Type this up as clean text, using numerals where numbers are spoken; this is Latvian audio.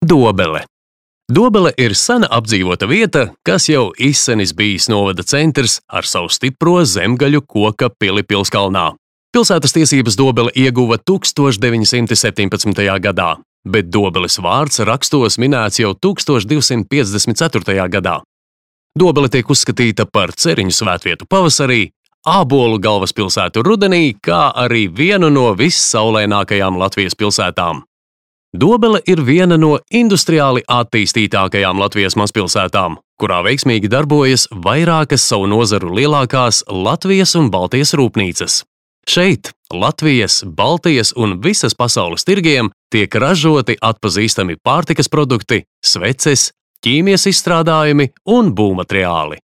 Dobele. Dobele ir sena apdzīvota vieta, kas jau izsenis bijis novada centrs ar savu stipro zemgaļu koka pili Pilskalnā. Pilsētas tiesības Dobele ieguva 1917. gadā, bet Dobeles vārds rakstos minēts jau 1254. gadā. Dobele tiek uzskatīta par ceriņu svētvietu pavasarī, ābolu galvaspilsētu rudenī, kā arī vienu no vissaulainākajām Latvijas pilsētām. Dobele ir viena no industriāli attīstītākajām Latvijas mazpilsētām, kurā veiksmīgi darbojas vairākas savu nozaru lielākās Latvijas un Baltijas rūpnīcas. Šeit Latvijas, Baltijas un visas pasaules tirgiem tiek ražoti atpazīstami pārtikas produkti, sveces, ķīmijas izstrādājumi un būvmateriāli.